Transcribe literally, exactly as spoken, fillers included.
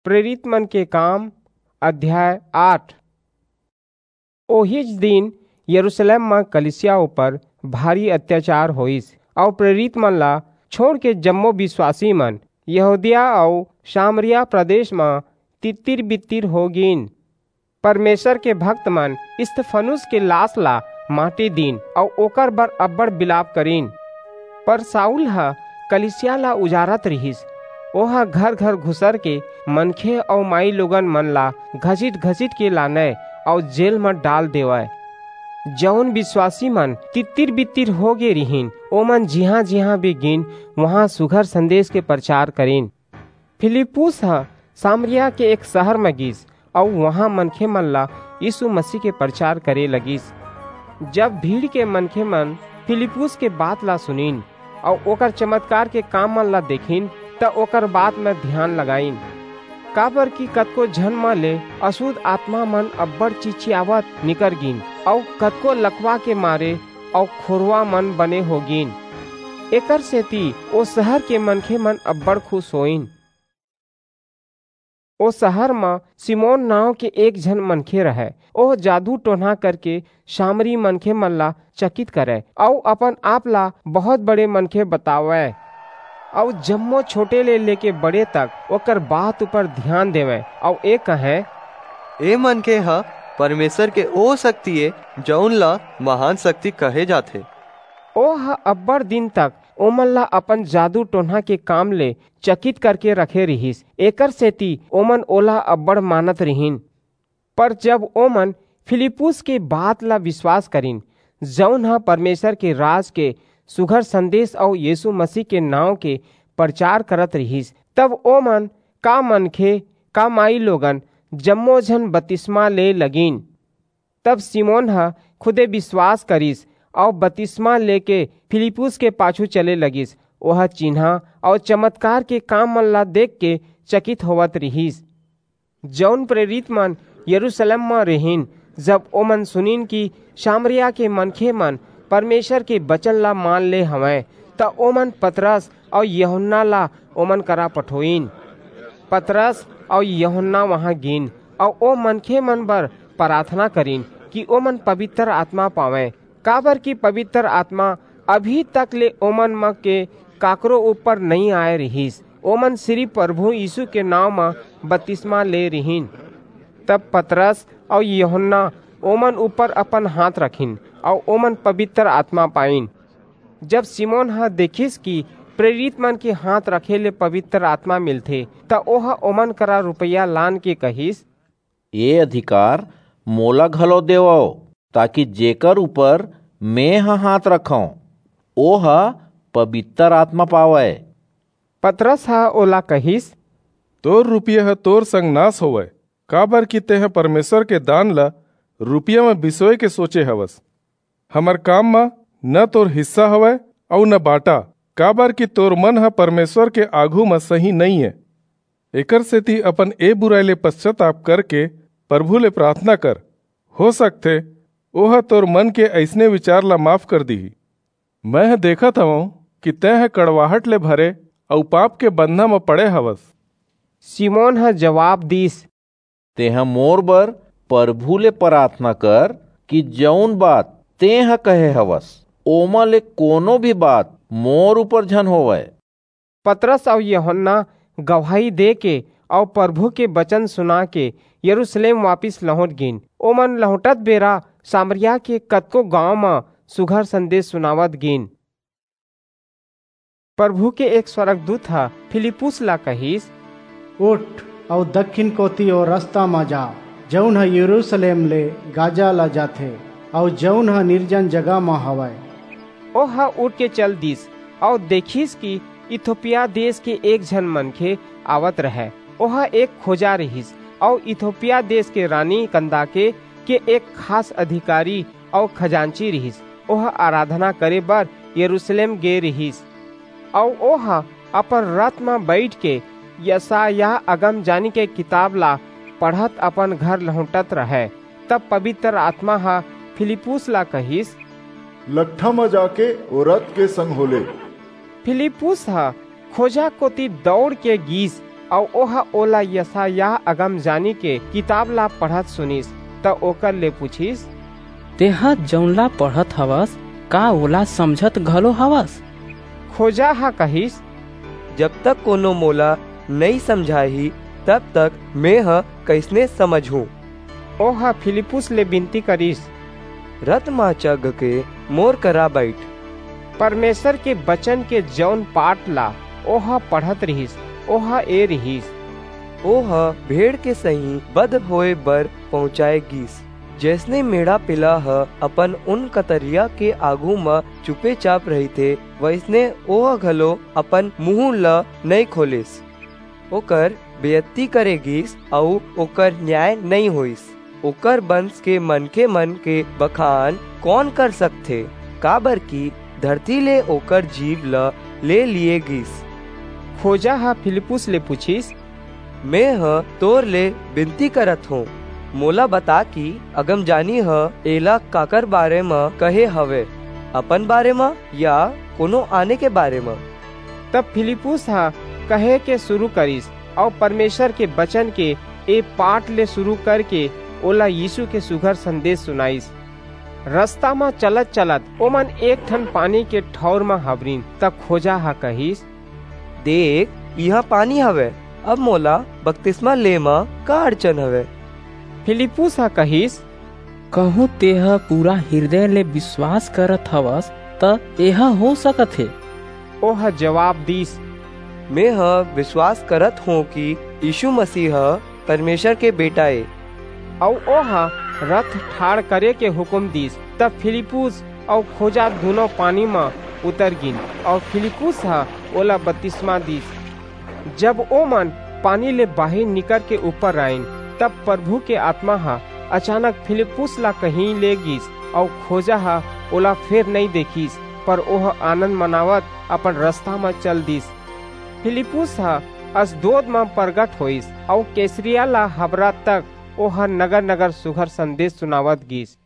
प्रेरित मन के काम, अध्याय आठ। ओहीच दिन यरूशलेम म कलीसिया ऊपर भारी अत्याचार होइस, अऊ प्रेरित मन ला छोड़ के जम्मो विश्वासी मन यहूदिया अऊ सामरिया प्रदेश म तित्तिर-बित्तिर हो गीन। परमेसर के भक्त मन स्तिफनुस के लास ला माटी दीन अऊ ओकर बर अब्बड़ बिलाप करिन। पर साऊल ह कलीसिया ला उजारत रिहिस। ओह घर-घर घुसर के मनखे अऊ माईलोगन मन ला घसीट-घसीट के लानय अऊ जेल म डाल देवय। जऊन बिसवासी मन तित्तिर-बित्तिर हो गे रिहिन, ओमन जिहां-जिहां भी गीन, उहां सुघर संदेस के परचार करिन। फिलिप्पुस ह सामरिया के एक सहर म गीस अऊ उहां मनखे मन ला यीसू मसीह के परचार करे लगिस। जब भीड़ के मनखे मन फिलिप्पुस के बात ला सुनिन अऊ ओकर चमतकार के काम मन ला देखिन, त ओकर बात म धियान लगाईन। काबरकि कतको झन म ले असुध आतमा मन अब्बड़ चिचियावत निकर गीन अऊ कतको लकवा के मारे अऊ खोरवा मन बने हो गीन। एकरसेति ओ सहर के मनखे मन अब्बड़ खुस होईन। ओ सहर म सिमोन नांव के एक झन मनखे रहय। ओह जादू-टोनहा करके सामरी मनखे मन ला चकित करय अऊ अपन-आप ला बहुंत बड़े मनखे बतावय। अऊ जम्मो छोटे ले लेके बड़े तक ओकर बात ऊपर धियान देवय अऊ ए कहय, ए मनखे ह परमेसर के ओ सक्ति ए, जऊन ला महान सक्ति कहे जाथे। ओह अब्बड़ दिन तक ओमन ला अपन जादू-टोनहा के काम ले चकित करके रखे रिहिस, एकरसेति ओमन ओला अब्बड़ मानत रिहिन। पर जब ओमन फिलिप्पुस के बात ला बिसवास करिन, जऊन ह परमेसर के राज के सुघर संदेस अऊ यीसू मसीह के नांव के परचार करत रिहिस, तब ओमन, का मनखे, का माईलोगन, जम्मो झन बतिसमा ले लगिन। तब सिमोन ह खुदे बिसवास करिस अऊ बतिसमा लेके फिलिप्पुस के पाछू चले लगिस। ओह चिन्हां अऊ चमतकार के काम मन ला देखके चकित होवत रिहिस। जऊन प्रेरित मन यरूसलेम म रिहिन, जब ओमन सुनिन कि सामरिया के मनखे मन परमेसर के बचन ला मान ले हवंय, त ओमन पतरस अऊ यूहन्ना ला ओमन करा पठोईन। पतरस अऊ यूहन्ना उहां गीन अऊ ओ मनखे मन बर पराथना करिन कि ओमन पबितर आतमा पावंय, काबरकि पबितर आतमा अभी तक ले ओमन म के काकरो ऊपर नइं आय रिहिस। ओमन सिरिप परभू यीसू के नांव म बतिसमा ले रिहिन। तब पतरस अऊ यूहन्ना ओमन ऊपर अपन हांथ रखिन अऊ ओमन पबितर आतमा पाईन। जब सिमोन ह देखिस कि प्रेरित मन के हांथ रखे ले पबितर आतमा मिलथे, त ओह ओमन करा रुपया लानके कहिस, ए अधिकार मोला घलो देवव, ताकि जेकर ऊपर मेंह हांथ रखंव, ओह पबितर आतमा पावय। पतरस ह ओला कहिस, तोर रुपया ह तोर संग नास होवय, काबरकि तेंह परमेसर के दान ला रुपया म बिसोय के सोचे हवस। हमर काम म न तोर हिस्सा हवय अऊ न बांटा, काबरकि तोर मन ह परमेसर के आघू म सही नइं ए। एकरसेति अपन ए बुरई ले पस्चाताप करके परभू ले पराथना कर। हो सकथे, ओह तोर मन के अइसने बिचार ला माफ कर दिही। मेंह देखत हवंव कि तेंह कड़वाहट ले भरे अऊ पाप के बंधा म पड़े हवस। सिमोन ह जबाब दीस, तेंह मोर बर परभू ले पराथना कर कि जऊन बात तेंह कहे हवस, ओमा ले कोनो भी बात मोर ऊपर झन होवय। पतरस अऊ यूहन्ना गवाही देके अऊ परभू के बचन सुनाके यरूसलेम वापिस लहुंट गीन। ओमन लहुंटत बेरा सामरिया के कतको गांव म सुघर संदेस सुनावत गीन। परभू के एक स्वरगदूत ह फिलिप्पुस ला कहिस, उठ अऊ दक्खिन कोति ओ रसता म जा, जऊन ह यरूसलेम ले गाजा ला जाथे, अऊ जऊन ह निरजन जगह म हवय। ओह उठके चल दीस अऊ देखिस कि इथोपिया देस के एक झन मनखे आवत रहय। ओह एक खोजा रिहिस अऊ इथोपिया देस के रानी कंदाके के एक खास अधिकारी अऊ खजांची रिहिस। ओह अराधना करे बर यरूसलेम गे रिहिस, अऊ ओह अपन रथ म बईठके यसायाह अगमजानी के किताब ला पढ़त अपन घर लहुंटत रहय। तब पबितर आतमा ह फिलिप्पुस ला कहिस, लकठा म जाके ओ रथ के संग हो ले। फिलिप्पुस ह खोजा कोति दऊड़के गीस अऊ ओह ओला यशायाह अगमजानी के किताब ला पढ़त सुनिस, त ओकर ले पूछिस, "तेंह जऊन ला पढ़त हवस, का ओला समझत घलो हवस?" खोजा ह कहिस, "जब तक कोनो मोला नइं समझाही, तब तक मेंह कइसने समझहूं?" ओह फिलिप्पुस ले बिनती करिस, "रथ म चघ के मोर करा बईठ।" परमेसर के बचन के जऊन पाठ ला ओह पढ़त रिहिस, ओह ए रिहिस, ओह भेड़ के सहीं बध होय बर पहुंचाय गीस। जइसने मेढ़ा पिला ह अपन ऊन कतरिया के आघू म चुपेचाप रहिथे, वइसने ओह घलो अपन मुहूं ल नइं खोलिस। ओकर बेइज्जती करे गीस अऊ ओकर न्याय नइं होईस। ओकर बंस के मनखेमन के बखान कोन कर सकथे? काबरकि धरती ले ओकर जीव ल ले लिये गीस। खोजा ह फिलिप्पुस ले पूछिस, "मेंह तोर ले बिनती करत हों, मोला बता कि अगमजानी ह एला काकर बारे म कहे हवय, अपन बारे म या कोनो आने के बारे म?" तब फिलिप्पुस ह कहे के सुरू करिस अऊ परमेसर के बचन के ए पाठ ले सुरू करके ओला यीसू के सुघर संदेस सुनाईस। रसता म चलत-चलत ओमन एक ठन पानी के ठऊर म हबरिन, त खोजा ह कहिस, "देख, इहां पानी हवय, अब मोला बतिसमा ले म का अड़चन हवय?" फिलिप्पुस ह कहिस, "कहूं तेंह पूरा हिरदय ले बिसवास करत हवस, त एह हो सकत हे।" ओह जबाब दीस, "मेंह बिसवास करत हों कि यीसू मसीह ह परमेसर के बेटा ए।" अऊ ओह रथ ठाढ़ करे के हुकूम दीस। तब फिलिप्पुस अऊ खोजा दूनों पानी म उतर गीन, अऊ फिलिप्पुस ह ओला बतिसमा दीस। जब ओमन पानी ले बाहिर निकरके ऊपर आईन, तब परभू के आतमा ह अचानक फिलिप्पुस ला कहीं ले गीस, अऊ खोजा ह ओला फेर नइं देखिस, पर ओह आनंद मनावत अपन रसता म चल दीस। फिलिप्पुस ह असदोद म परगट होईस, अऊ कैसरिया ला हबरत तक ओह नगर-नगर सुघर संदेस सुनावत गीस।